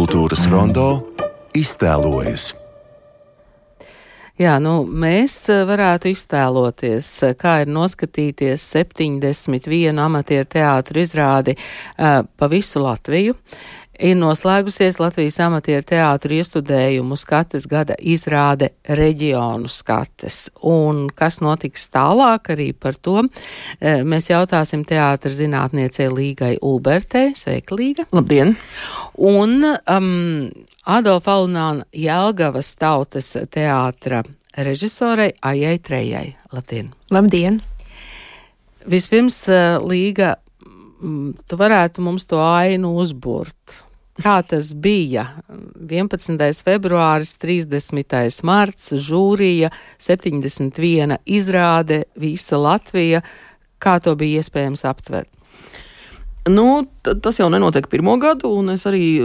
Kultūras rondo iztēlojas. Jā, mēs varētu iztēloties, kā ir noskatīties 71 amatieru teātru izrādi pa visu Latviju. Ir noslēgusies Latvijas amatieru teātru iestudējumu skates gada izrāde Reģionu skates. Un kas notiks tālāk, arī par to mēs jautāsim teātra zinātniecei Līgai Ulbertei. Sveika, Līga! Labdien! Un Adolfa Alunāna Jelgavas tautas teātra režisorei Aijai Trejai. Labdien! Labdien! Vispirms, Līga, tu varētu mums to ainu uzburt. Kā tas bija? 11. februāris, 30. marts, žūrija, 71 izrāde, visa Latvija. Kā to bija iespējams aptvert? Tas jau nenotiek pirmo gadu, un es arī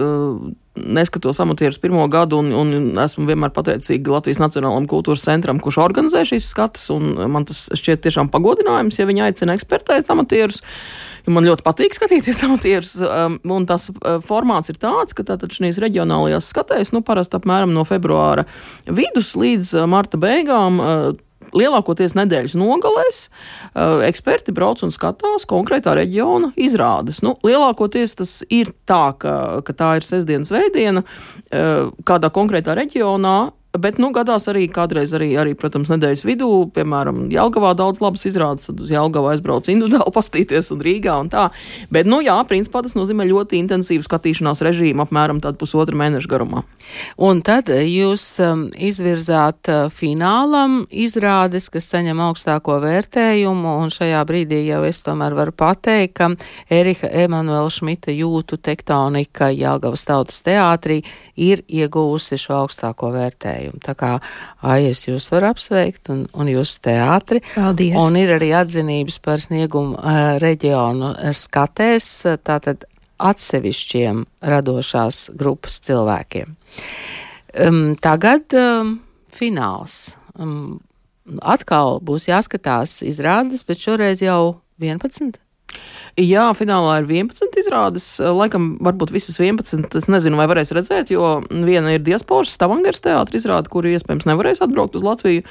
neskatos amatierus pirmo gadu, un esmu vienmēr pateicīga Latvijas Nacionālajam kultūras centram, kurš organizē šīs skates, un man tas šķiet tiešām pagodinājums, ja viņi aicina ekspertēt amatierus. Man ļoti patīk skatīties amatierus, un tas formāts ir tāds, ka tātad šīs reģionālajās skatēs, parasti apmēram no februāra vidus līdz marta beigām, lielākoties nedēļas nogalēs, eksperti brauc un skatās konkrētā reģiona izrādes. Lielākoties tas ir tā, ka tā ir sestdienas svētdiena kādā konkrētā reģionā, bet gadās arī kādreiz arī, protams, nedēļas vidū, piemēram, Jelgavā daudz labas izrādes, tad uz Jelgavu aizbrauc individuāli pastīties un Rīgā un tā. Bet, principā tas nozīmē ļoti intensīvu skatīšanās režīmu, apmēram tādu pusotru mēnešu garumā. Un tad jūs izvirzāt finālam izrādes, kas saņem augstāko vērtējumu, un šajā brīdī jau es tomēr varu pateikt, ka Erika Emanuela Šmita jūtu tektonika Jelgavas tautas teātrī ir ieguvusi šo augstāko vērtējumu. Tā kā es jūs varu apsveikt un jūs teātri. Paldies. Un ir arī atzinības par sniegumu reģionu skatēs, tātad atsevišķiem radošās grupas cilvēkiem. Tagad fināls. Atkal būs jāskatās izrādes, bet šoreiz jau 11? Jā, finālā ir 11 izrādes, laikam varbūt visas 11, es nezinu, vai varēs redzēt, jo viena ir Diasporas Stavangeras teātra izrāde, kuri iespējams nevarēs atbraukt uz Latviju,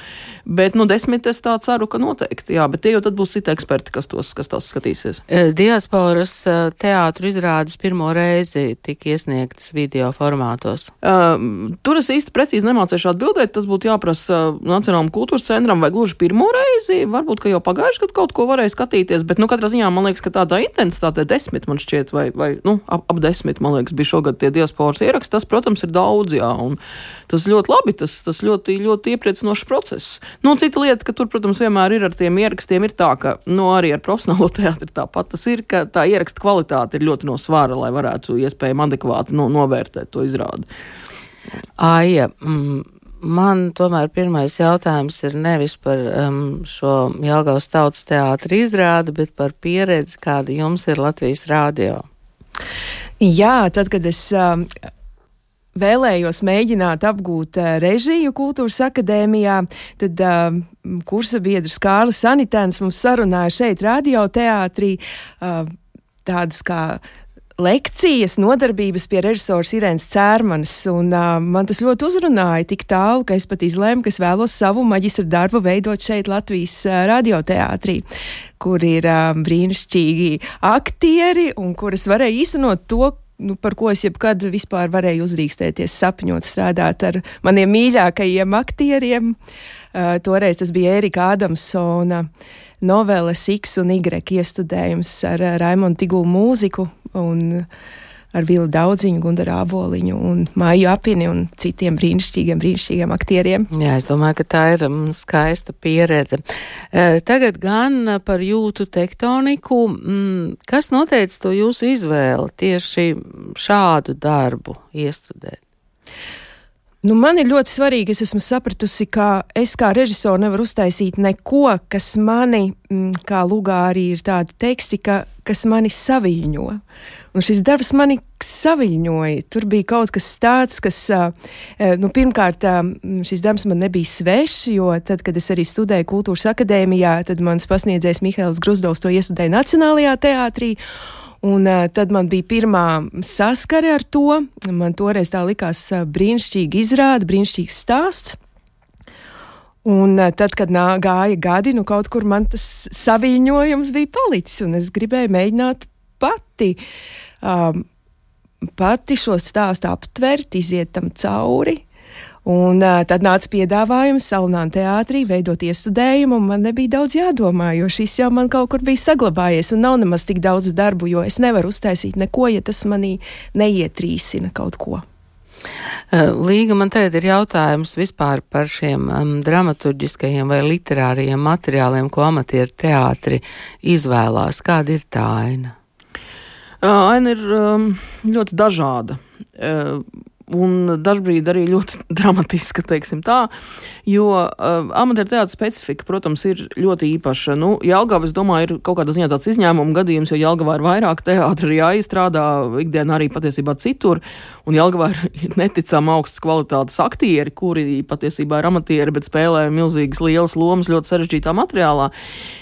bet 10 es tā ceru, ka noteikti, jā, bet tie jau tad būs citi eksperti, kas tās skatīsies. Diasporas teātru izrādes pirmo reizi tika iesniegtas video formātos. Tur es īsti precīzi nemācīšu atbildēt, tas būtu jāprasa Nacionālajam kultūras centram vai gluži pirmo reizi, varbūt, ka jau pagājuši gadu kaut ko varēja skatīties, bet katrā ziņā man liekas, ka tādā intensitātē 10 man šķiet, vai ap 10, man liekas, bija šogad tie diasporas ieraksti. Tas, protams, ir daudz, jā, un tas ļoti labi, tas ļoti, ļoti iepriecinošs process. Cita lieta, ka tur, protams, vienmēr ir ar tiem ierakstiem ir tā, ka, arī ar profesionālo teātri tāpat tas ir, ka tā ieraksta kvalitāte ir ļoti no svara, lai varētu iespējami adekvāti novērtēt to izrādi. Aija, man tomēr pirmais jautājums ir nevis par šo Jelgavas tautas teātra izrādi, bet par pieredzi, kāda jums ir Latvijas radio. Jā, tad, kad es vēlējos mēģināt apgūt režiju Kultūras akadēmijā, tad kursa biedrs Kārlis Sanitēns mums sarunāja šeit radioteātrī tādas kā lekcijas, nodarbības pie režisors Irēnas Cērmanas, un man tas ļoti uzrunāja tik tālu, ka es pat izlēmu, ka es vēlos savu maģistra darbu veidot šeit Latvijas radioteātrī, kur ir brīnišķīgi aktieri, un kur es varēju īstenot to, par ko es jebkad vispār varēju uzrīkstēties, sapņot, strādāt ar maniem mīļākajiem aktieriem. Toreiz tas bija Ērika Ādamsona noveles X un Y iestudējums ar Raimondu Tigulu mūziku un ar Vili Daudziņu, Gundaru Āboliņu un Māju Apini un citiem brīnišķīgiem aktieriem. Jā, es domāju, ka tā ir skaista pieredze. Tagad gan par jūtu tektoniku. Kas noteica to jūsu izvēli tieši šādu darbu iestudēt? Man ir ļoti svarīgi, es esmu sapratusi, ka es kā režisori nevaru uztaisīt neko, kas mani, kā lugā arī ir tādi teksti, kas mani saviļņo. Un šis darbs mani saviļņoja. Tur bija kaut kas tāds, kas, pirmkārt, šis darbs man nebija svešs, jo tad, kad es arī studēju Kultūras akadēmijā, tad mans pasniedzējs Mihails Gruzdovs to iestudēja Nacionālajā teātrī. Un tad man bija pirmā saskare ar to. Man toreiz tā likās brīnišķīga izrāde, brīnišķīgs stāsts. Un tad, kad gāja gadi, kaut kur man tas saviņojums bija palicis, un es gribēju mēģināt pati šo stāstu aptvert, iziet tam cauri. Un tad nāca piedāvājums Salonāna teātrī veidot iestudējumu, un man nebija daudz jādomā, jo šis jau man kaut kur bija saglabājies, un nav nemaz tik daudz darbu, jo es nevaru uztaisīt neko, ja tas manī neietrīsina kaut ko. Līga, man tagad ir jautājums vispār par šiem dramaturģiskajiem vai literārajiem materiāliem, ko amatieru teātri izvēlās. Kāda ir tā aina? Aina ir ļoti dažāda. Un dažbrīd arī ļoti dramatiska, teiksim tā, jo amatieru teātra specifika, protams, ir ļoti īpaša. Jelgava, es domāju, ir kaut kādā ziņā tāds izņēmuma gadījums, jo Jelgavā ir vairāk teātra arī jāizstrādā, ikdienā arī patiesībā citur, un Jelgavā ir neticami augstas kvalitātes aktieri, kuri patiesībā ir amatieri, bet spēlē milzīgas lielas lomas ļoti sarežģītā materiālā.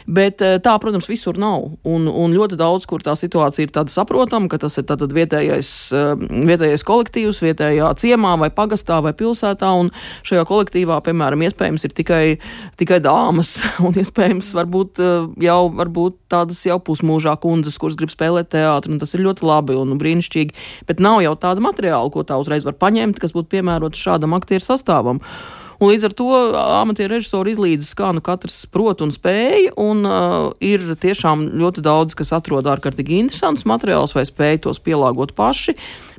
Bet tā, protams, visur nav. Un ļoti daudz, kur tā situācija ir tāda saprotama, ka tas ir tātad vietējais kolektīvs, vietējais ciemā vai pagastā vai pilsētā, un šajā kolektīvā, piemēram, iespējams ir tikai dāmas, un iespējams varbūt tādas jau pusmūžā kundzes, kuras grib spēlēt teātri, un tas ir ļoti labi un brīnišķīgi, bet nav jau tāda materiāla, ko tā uzreiz var paņemt, kas būtu piemērots šādam aktieru sastāvam. Un līdz ar to amatieru režisori izlīdzas, kā katrs prot un spēja, un ir tiešām ļoti daudz, kas atrod ārkārtīgi interesants materiāls vai spēj tos pielāgot paši.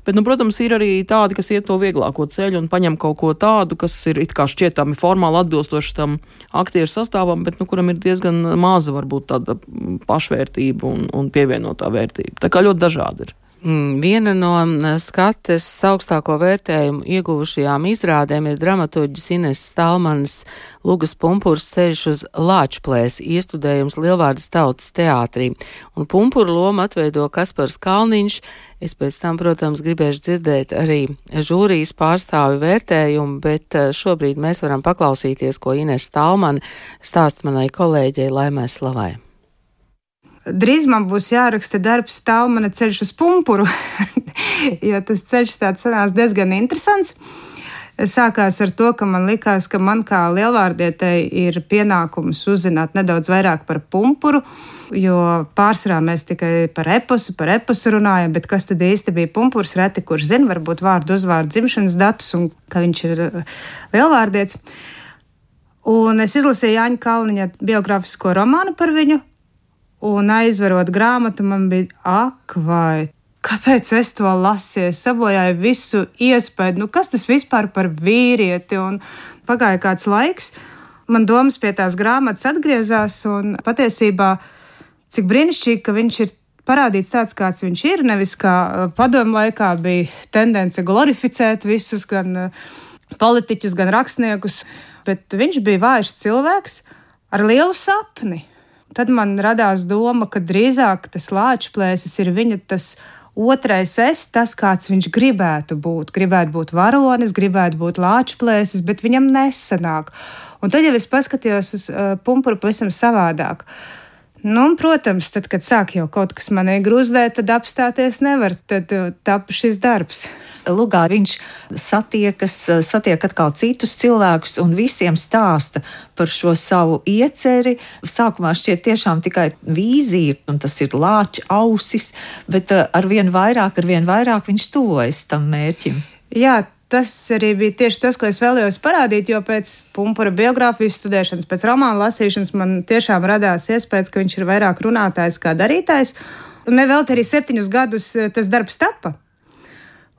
Bet, protams, ir arī tādi, kas iet to vieglāko ceļu un paņem kaut ko tādu, kas ir it kā šķietami formāli atbilstoši tam aktieru sastāvam, bet, kuram ir diezgan maza varbūt tāda pašvērtība un pievienotā vērtība. Tā kā ļoti dažādi ir. Viena no skates augstāko vērtējumu ieguvušajām izrādēm ir dramaturģis Ineses Stalmanas Lugas Pumpurs ceļš uz Lāčplēsi, iestudējums Lielvārdas tautas teātrī. Un Pumpura lomu atveido Kaspars Kalniņš. Es pēc tam, protams, gribēšu dzirdēt arī žūrijas pārstāvi vērtējumu, bet šobrīd mēs varam paklausīties, ko Inese Stalmana stāsta manai kolēģei Laimai Slavai. Drīz man būs jāraksta darbs Stalmana ceļš uz Pumpuru, jo tas ceļš tāds sanās diezgan interesants. Sākās ar to, ka man likās, ka man kā lielvārdietei ir pienākums uzzināt nedaudz vairāk par Pumpuru, jo pārsvarā mēs tikai par eposu runājam, bet kas tad īsti bija Pumpurs, reti kurš zina, varbūt vārdu uzvārdu dzimšanas datus un ka viņš ir lielvārdietis. Un es izlasīju Jāņa Kalniņa biogrāfisko romānu par viņu, un aizverot grāmatu, man bija vai kāpēc es to lasīju? Es sabojāju visu iespēju, kas tas vispār par vīrieti? Un pagāja kāds laiks, man domas pie tās grāmatas atgriezās, un patiesībā cik brīnišķīgi, ka viņš ir parādīts tāds, kāds viņš ir, nevis kā padomu laikā bija tendence glorificēt visus, gan politiķus, gan rakstniekus, bet viņš bija vājš cilvēks ar lielu sapni. Tad man radās doma, ka drīzāk tas Lāčplēsis ir viņa tas otrais es, tas, kāds viņš gribētu būt. Gribētu būt varonis, gribētu būt Lāčplēsis, bet viņam nesanāk. Un tad jau es paskatījos uz Pumpuru pavisam savādāk. Protams, tad, kad sāk jau kaut kas manī grūzdēt, tad apstāties nevar, tad tapa šis darbs. Lugā viņš satiek atkal citus cilvēkus un visiem stāsta par šo savu ieceri. Sākumā šķiet tiešām tikai vīzija, un tas ir lāča ausis, bet arvien vairāk viņš tuvojas tam mērķim. Jā, tas arī bija tieši tas, ko es vēlējos parādīt, jo pēc Pumpura biogrāfijas studēšanas, pēc romāna lasīšanas man tiešām radās iespējas, ka viņš ir vairāk runātājs kā darītājs. Un nevelti arī 7 gadus tas darbs tapa.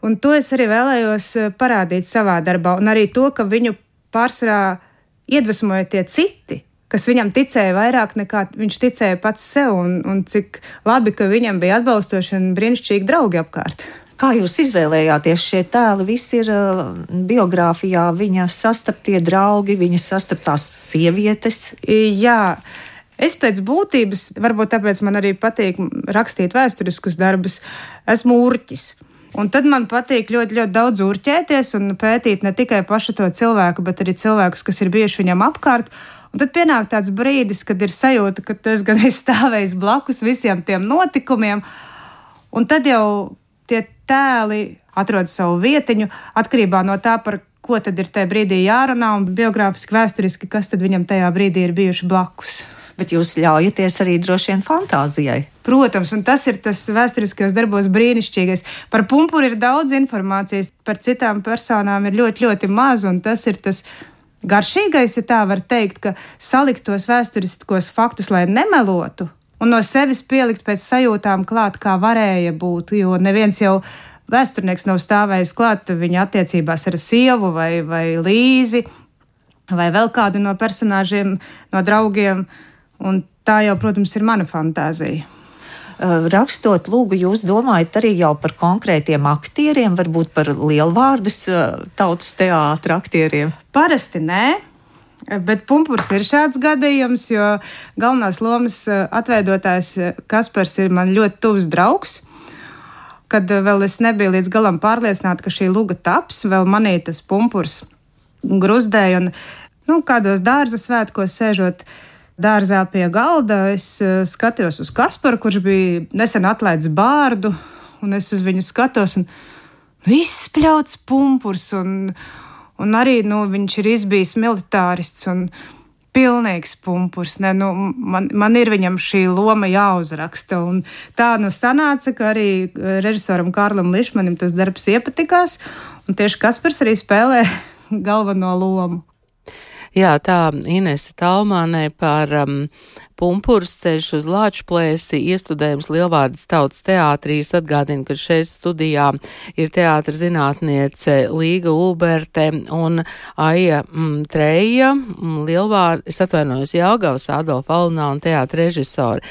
Un to es arī vēlējos parādīt savā darbā. Un arī to, ka viņu pārsvarā iedvesmoja tie citi, kas viņam ticēja vairāk nekā viņš ticēja pats sev. Un cik labi, ka viņam bija atbalstoši un brīnišķīgi draugi apkārt. Kā jūs izvēlējāties šie tēli? Viss ir biogrāfijā, viņa sastaptie draugi, viņa sastaptās sievietes. Jā, es pēc būtības, varbūt tāpēc man arī patīk rakstīt vēsturiskus darbus, esmu urķis. Un tad man patīk ļoti, ļoti daudz urķēties un pētīt ne tikai pašu to cilvēku, bet arī cilvēkus, kas ir bijuši viņam apkārt. Un tad pienāk tāds brīdis, kad ir sajūta, ka tu esi gan stāvējis blakus visiem tiem notikumiem. Un tad jau tie tēli atrod savu vietiņu atkarībā no tā, par ko tad ir tajā brīdī jārunā un biogrāfiski, vēsturiski, kas tad viņam tajā brīdī ir bijuši blakus. Bet jūs ļaujaties arī droši vien fantāzijai. Protams, un tas ir tas vēsturiskajos darbos brīnišķīgais. Par Pumpuru ir daudz informācijas, par citām personām ir ļoti, ļoti maz, un tas ir tas garšīgais, ja tā var teikt, ka salikt tos vēsturiskos faktus, lai nemelotu, un no sevis pielikt pēc sajūtām klāt, kā varēja būt, jo neviens jau vēsturnieks nav stāvējis klāt viņa attiecībās ar sievu vai Līzi, vai vēl kādu no personāžiem, no draugiem, un tā jau, protams, ir mana fantāzija. Rakstot lūgu, jūs domājat arī jau par konkrētiem aktieriem, varbūt par lielvārdas tautas teātra aktieriem? Parasti nē, bet Pumpurs ir šāds gadījums, jo galvenās lomas atveidotājs Kaspars ir man ļoti tuvs draugs. Kad vēl es nebiju līdz galam pārliecināta, ka šī luga taps, vēl manī tas Pumpurs gruzdēja, un kādos dārza svētkos sēžot dārzā pie galda, es skatījos uz Kasparu, kurš bija nesen atlaists bārdu, un es uz viņu skatos, un izspļauts Pumpurs, un arī, viņš ir izbijis militārists, un pilnīgs Pumpurs. Man ir viņam šī loma jāuzraksta, un tā sanāca, ka arī režisoram Kārlim Lišmanim tas darbs iepatikās, un tieši Kaspars arī spēlē galveno lomu. Jā, tā Inese Talmānē par Pumpurs ceļš uz Lāčplēsi, iestudējums Lielvārdas tautas teātrī. Es atgādinu, ka šeit studijā ir teātra zinātniece Līga Ulberte un Aija Treja, es atvainojos Jelgavas Adolfa Alunā un teātra režisori.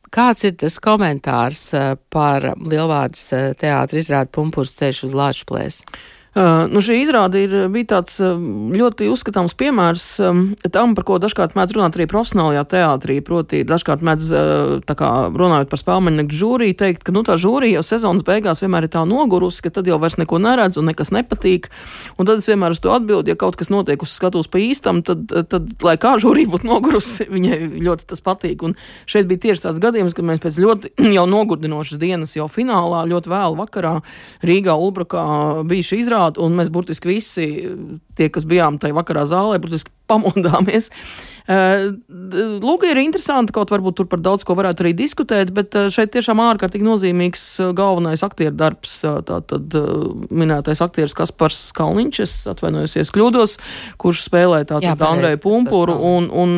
Kāds ir tas komentārs par Lielvārdas teātra izrādi Pumpurs ceļš uz Lāčplēsi? Šī izrāde bija tāds ļoti uzskatāms piemērs tam, par ko dažkārt mēdz runāt arī profesionālajā teātrī, proti dažkārt mēdz, tā kā runājot par spēlmeņnieku žūriju, teikt, ka tā žūrija jau sezonas beigās vienmēr ir tā nogurusi, ka tad jau vairs neko neredz un nekas nepatīk, un tad es vienmēr uz to atbildu, ja kaut kas notiek uz skatuves pa īstam, tad lai kā žūrija būtu nogurusi, viņai ļoti tas patīk, un šeit bija tieši tāds gadījums, ka mēs pēc ļoti jau nogurdinošas dienas jau finālā, ļoti vēlu vakarā Rīgā Ulbrukā bija šī izrāde, un mēs burtiski visi, tie, kas bijām tajā vakarā zālē, burtiski pamodāmies. Lūga ir interesanti, kaut varbūt tur par daudz ko varētu arī diskutēt, bet šeit tiešām ārkārtīgi nozīmīgs galvenais aktieru darbs, tātad minētais aktieris Kaspars Kalniņš, es atvainojos, kļūdos, kurš spēlē tātad Andreju Pumpuru, un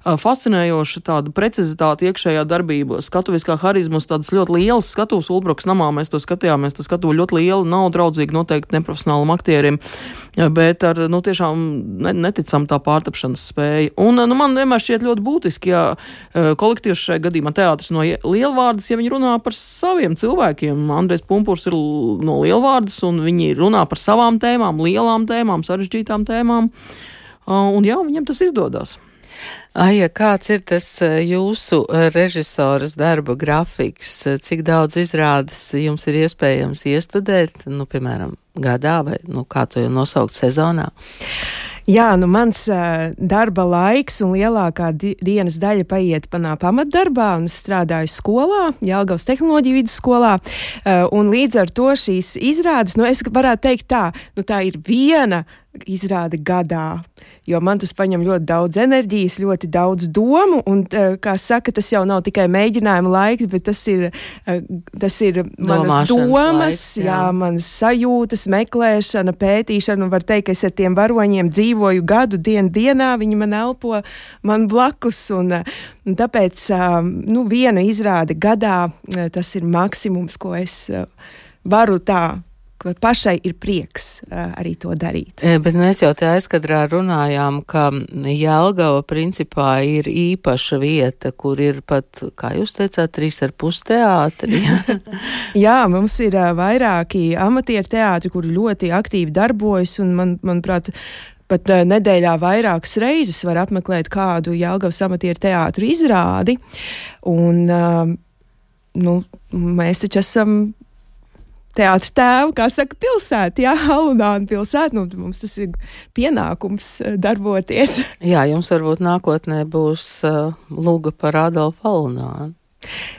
fascinējoša tāda precizitāte iekšējā darbība, skatuviskā harizmas, tādas ļoti lielas skatuves Ulbrukas namā, mēs to skatījāmies, tā skatuve ļoti liela, nav draudzīgi noteikti neprofesionālam aktierim, bet ar, tiešām neticam tā pārtapšanas spēja. Un, man vienmēr šķiet ļoti būtiski, ja kolektīvs šajā gadījumā teātris no Lielvārdas, ja viņi runā par saviem cilvēkiem. Andrejs Pumpurs ir no Lielvārdas, un viņi runā par savām tēmām, lielām tēmām, sarežģītām tēmām. Un jā, viņiem tas izdodas. Aija, kāds ir tas jūsu režisoras darba grafiks? Cik daudz izrādes jums ir iespējams iestudēt, piemēram, gadā vai, kā to jau nosaukt, sezonā? Jā, mans darba laiks un lielākā dienas daļa paiet manā pamatdarbā, un es strādāju skolā, Jelgavas tehnoloģiju vidusskolā, un līdz ar to šīs izrādes, es varētu teikt tā ir viena izrāde gadā, jo man tas paņem ļoti daudz enerģijas, ļoti daudz domu, un, kā saka, tas jau nav tikai mēģinājuma laiks, bet tas ir manas domas, manas sajūtas, meklēšana, pētīšana, un var teikt, ka es ar tiem varoņiem dzīvoju gadu dienā, viņi man elpo man blakus, un tāpēc, viena izrāde gadā, tas ir maksimums, ko es varu ka pašai ir prieks arī to darīt. Bet mēs jau te aizkadrā runājām, ka Jelgava principā ir īpaša vieta, kur ir pat, kā jūs teicāt, 3,5 teātri. Jā, mums ir vairāki amatieru teātri, kuri ļoti aktīvi darbojas, un manuprāt, pat nedēļā vairākas reizes var apmeklēt kādu Jelgavas amatieru teātru izrādi, un mēs taču esam teātra tēvu, kā saka, pilsēta, Alunāna pilsēta, mums tas ir pienākums darboties. Jā, jums varbūt nākotnē būs lūga par Adolfu Alunānu.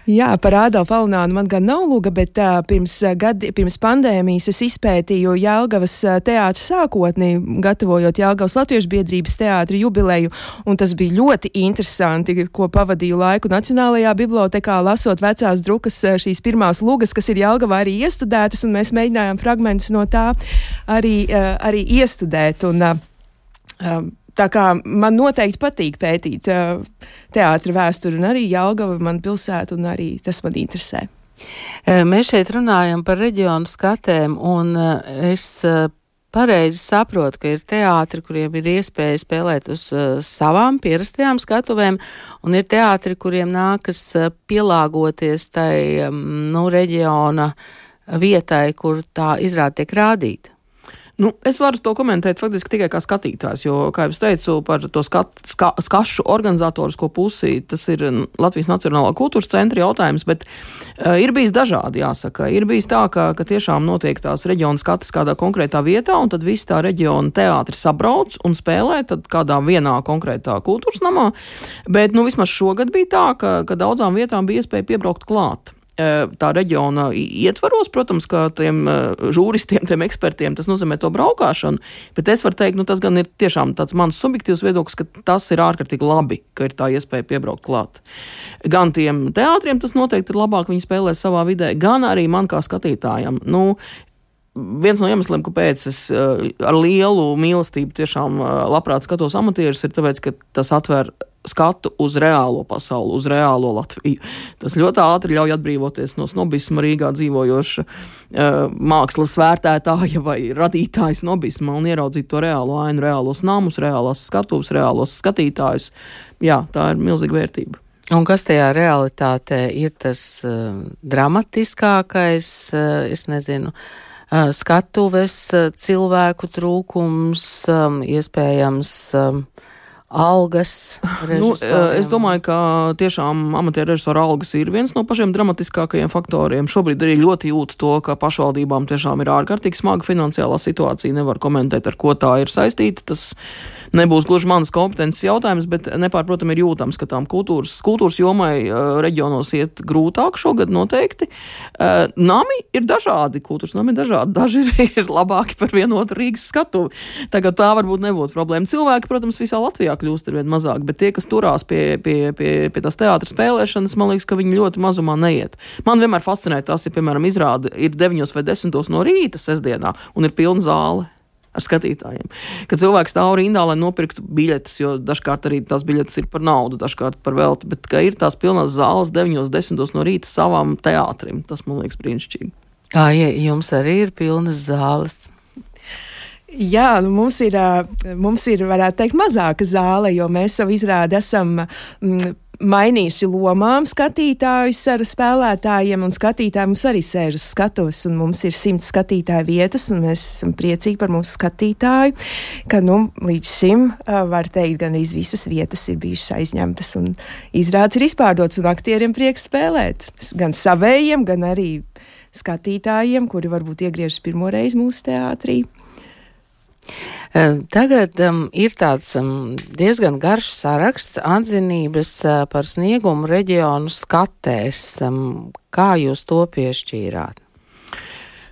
Jā, par Ādolfu Alinānu man gan nav lūga, bet pirms pandēmijas es izpētīju Jelgavas teātra sākotni, gatavojot Jelgavas Latviešu biedrības teātra jubileju, un tas bija ļoti interesanti, ko pavadīju laiku Nacionālajā bibliotekā, lasot vecās drukas šīs pirmās lugas, kas ir Jelgavā arī iestudētas, un mēs mēģinājām fragmentus no tā arī iestudēt. Tā kā man noteikti patīk pētīt teātra vēsturi, un arī Jelgava man pilsēta, un arī tas man interesē. Mēs šeit runājam par reģionu skatēm, un es pareizi saprotu, ka ir teātri, kuriem ir iespēja spēlēt uz savām pierastajām skatuvēm, un ir teātri, kuriem nākas pielāgoties tai reģiona vietai, kur tā izrāde tiek rādīta. Es varu to komentēt faktiski tikai kā skatītājs, jo, kā jau es teicu, par to skašu organizatorisko pusi, tas ir Latvijas Nacionālā kultūras centra jautājums, bet ir bijis dažādi, jāsaka. Ir bijis tā, ka tiešām notiek tās reģiona skatas kādā konkrētā vietā, un tad visi tā reģiona teātri sabrauc un spēlē tad kādā vienā konkrētā kultūras namā, bet vismaz šogad bija tā, ka daudzām vietām bija iespēja piebraukt klāt. Tā reģiona ietvaros, protams, ka tiem žūristiem, tiem ekspertiem tas nozīmē to braukāšanu, bet es varu teikt, tas gan ir tiešām tāds mans subjektīvs viedoklis, ka tas ir ārkārtīgi labi, ka ir tā iespēja piebraukt klāt. Gan tiem teātriem tas noteikti ir labāk, viņi spēlē savā vidē, gan arī man kā skatītājam. Viens no iemesliem, kāpēc es ar lielu mīlestību tiešām labprāt skatos amatierus, ir tāpēc, ka tas atver skatu uz reālo pasauli, uz reālo Latviju. Tas ļoti ātri ļauj atbrīvoties no snobisma Rīgā dzīvojoša mākslas vērtētāja vai radītāja snobisma un ieraudzīt to reālo ainu, reālos namus, reālās skatuves, reālos skatītājus. Jā, tā ir milzīga vērtība. Un kas tajā realitātē ir tas dramatiskākais, es nezinu, skatuves, cilvēku trūkums, iespējams algas režisoriem? Es domāju, ka tiešām amatieru režisoru algas ir viens no pašiem dramatiskākajiem faktoriem. Šobrīd arī ļoti jūtu to, ka pašvaldībām tiešām ir ārkārtīgi smaga finansiālā situācija. Nevar komentēt, ar ko tā ir saistīta. Tas nebūs gluži manas kompetences jautājums, bet nepārprotam ir jūtams, ka tām kultūras jomai reģionos iet grūtāk šogad noteikti. Nami ir dažādi, kultūras nami ir dažādi. Daži ir labāki par vienotu Rīgas skatuvi. Tagad tā varbūt nebūtu problēma. Cilvēki, protams, visā Latvijā kļūst arvien mazāk, bet tie, kas turās pie tās teātra spēlēšanas, man liekas, ka viņi ļoti mazumā neiet. Man vienmēr fascinē tas, ja, piemēram, izrāde ir 9 vai 10 no rīta sestdienā un ir pilna zāle ar skatītājiem. Kad cilvēks stāv rindā, lai nopirktu biļetes, jo dažkārt arī tās biļetes ir par naudu, dažkārt par velti, bet ka ir tās pilnās zāles 9-10 no rīta savām teātrim, tas man liekas brīnišķīgi. Ja jums arī ir pilnas zāles? Jā, mums ir, varētu teikt, mazāka zāle, jo mēs savu izrādi esam mainījuši lomām skatītājus ar spēlētājiem, un skatītāji mums arī sēž uz skatuves, un mums ir 100 skatītāju vietas, un mēs esam priecīgi par mūsu skatītāju, ka, līdz šim, var teikt, gan visas vietas ir bijušas aizņemtas, un izrādes ir izpārdots, un aktieriem prieks spēlēt. Gan savējiem, gan arī skatītājiem, kuri varbūt iegriežas pirmo reizi mūsu teātrī. Tagad ir tāds diezgan garš saraksts atzinības par sniegumu reģionu skatēs. Kā jūs to piešķīrāt?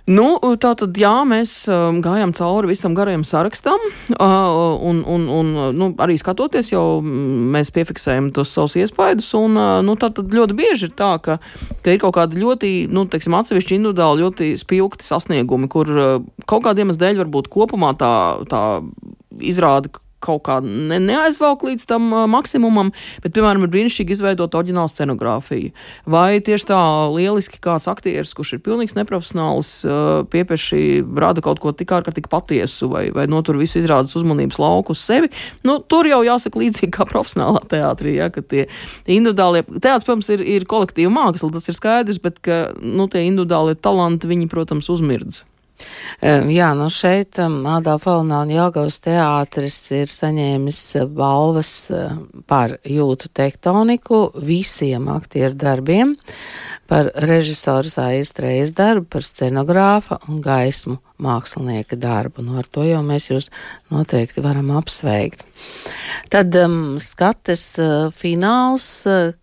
Tātad, jā, mēs gājām cauri visam garajam sarakstam, un arī skatoties jau mēs piefiksējam tos savus iespaidus, un tātad ļoti bieži ir tā, ka ir kaut kādi ļoti, atsevišķi individuāli ļoti spilgti sasniegumi, kur kaut kādiem dēļ varbūt kopumā tā izrāda kaut kā neaizvelk līdz tam maksimumam, bet, piemēram, ir brīnišķīgi izveidot oriģinālu scenogrāfiju. Vai tieši tā lieliski kāds aktieris, kurš ir pilnīgs neprofesionāls, piepieši rada kaut ko tik ārkārtīgi patiesu, vai notur visu izrādes uzmanības lauku uz sevi. Tur jau jāsaka līdzīgi kā profesionālā teātrī, ja, ka tie individuālie, teātris, protams, ir kolektīva māksla, tas ir skaidrs, bet, ka, tie individuālie talanti, viņi, protams, uzmirdz. Jā, šeit Ādolfa Alināna Jelgavas teātris ir saņēmis balvas par jūtu tektoniku visiem aktieru darbiem, par režisoru Aistrejas darbu, par scenogrāfa un gaismu mākslinieka darbu. Nu, ar to jau mēs jūs noteikti varam apsveikt. Tad skates fināls,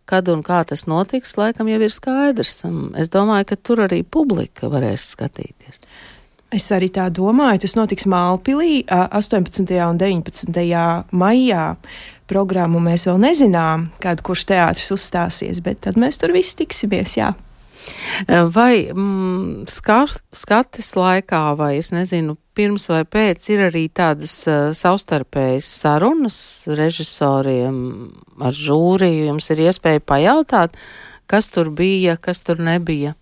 kad un kā tas notiks, laikam jau ir skaidrs. Es domāju, ka tur arī publika varēs skatīties. Es arī tā domāju, tas notiks Mālpilī 18. un 19. maijā. Programmu mēs vēl nezinām, kad kurš teātris uzstāsies, bet tad mēs tur visi tiksimies, jā. Vai skates laikā, vai es nezinu, pirms vai pēc ir arī tādas savstarpējas sarunas režisoriem ar žūriju? Jums ir iespēja pajautāt, kas tur bija, kas tur nebija?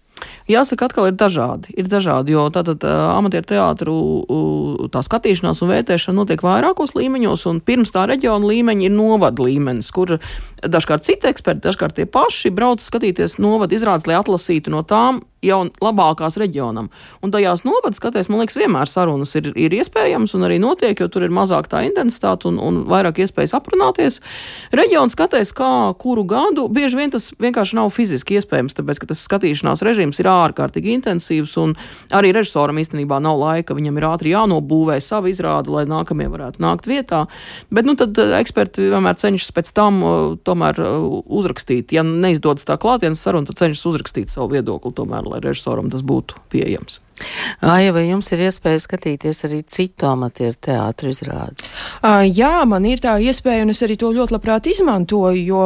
Jāsaka, atkal ir dažādi, jo tātad amatieru teātru tā skatīšanās un vērtēšana notiek vairākos līmeņos, un pirms tā reģiona līmeņa ir novada līmenis, kur dažkārt citi eksperti, dažkārt tie paši brauc skatīties novada izrādes, lai atlasītu no tām jau labākās reģionam. Un tajās novada skatēs, man liekas, vienmēr sarunas ir iespējams un arī notiek, jo tur ir mazāk tā intensitāte un vairāk iespējas aprunāties. Reģiona skatēs kā kuru gadu, bieži vien tas vienkārši nav fiziski iespējams, tāpēc, ka tas skatīšanās režīms ir ārkārtīgi intensīvs un arī režisoram īstenībā nav laika, viņam ir ātri jānobūvē savu izrādi, lai nākamie varētu nākt vietā. Bet tad eksperti vienmēr cenšas pēc tam tomēr uzrakstīt. Ja neizdodas tā klātienes saruna, tad cenšas uzrakstīt savu viedokli tomēr, lai režisoram tas būtu pieejams. Aija, vai jums ir iespēja skatīties arī citu amatieru teātru izrādi? Jā, man ir tā iespēja, un es arī to ļoti labprāt izmantoju, jo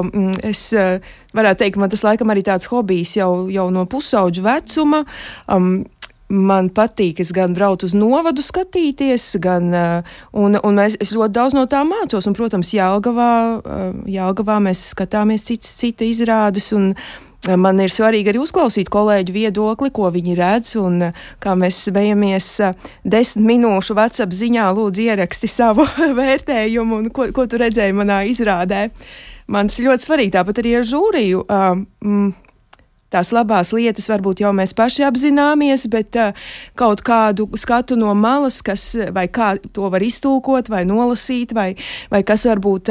es varētu teikt, man tas laikam arī tāds hobijs jau no pusauģu vecuma. Man patīk, es gan braucu uz novadu skatīties, es ļoti daudz no tā mācos, un, protams, Jelgavā mēs skatāmies cita izrādes, un man ir svarīgi arī uzklausīt kolēģu viedokli, ko viņi redz, un kā mēs smejamies 10 minūšu WhatsApp ziņā, lūdzu ieraksti savu vērtējumu, un ko tu redzēji manā izrādē. Man tas ļoti svarīgi, tāpat arī ar žūriju. Tās labās lietas varbūt jau mēs paši apzināmies, bet kaut kādu skatu no malas, vai kā to var iztulkot, vai nolasīt, vai kas varbūt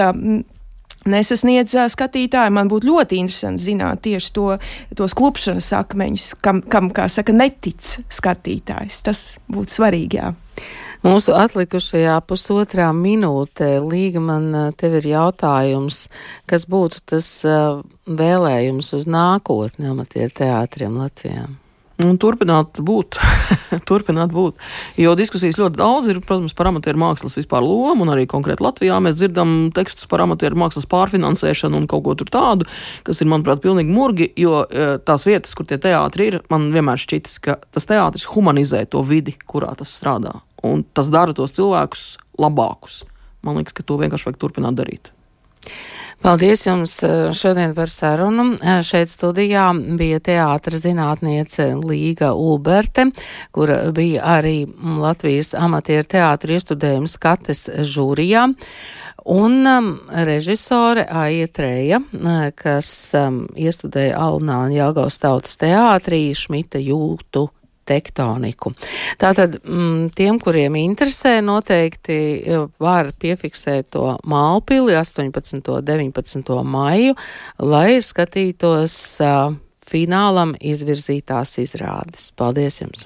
nesasniedz skatītāji. Man būtu ļoti interesanti zināt tieši tos klupšanas akmeņus, kam, kā saka, netic skatītājs. Tas būtu svarīgi, jā. Mūsu atlikušajā pusotrā minūtē, Līga, man tev ir jautājums, kas būtu tas vēlējums uz nākotni amatieru teātriem Latvijā? Turpināt būt, jo diskusijas ļoti daudz ir, protams, par amatieru mākslas vispār lomu, un arī konkrēti Latvijā mēs dzirdam tekstus par amatieru mākslas pārfinansēšanu un kaut ko tur tādu, kas ir, manuprāt, pilnīgi murgi, jo tās vietas, kur tie teātri ir, man vienmēr šķitis, ka tas teātris humanizē to vidi, kurā tas strādā, un tas dara tos cilvēkus labākus. Man liekas, ka to vienkārši vajag turpināt darīt. Paldies jums šodien par sarunu. Šeit studijā bija teātra zinātniece Līga Ulberte, kura bija arī Latvijas amatieru teātru iestudējuma skates žūrijā, un režisore Aija, kas iestudēja Alnāna Jelgavas tautas teātrī Šmita jūtu tektoniku. Tātad tiem, kuriem interesē, noteikti var piefiksēt to Mālpili 18. un 19. maiju, lai skatītos finālam izvirzītās izrādes. Paldies jums!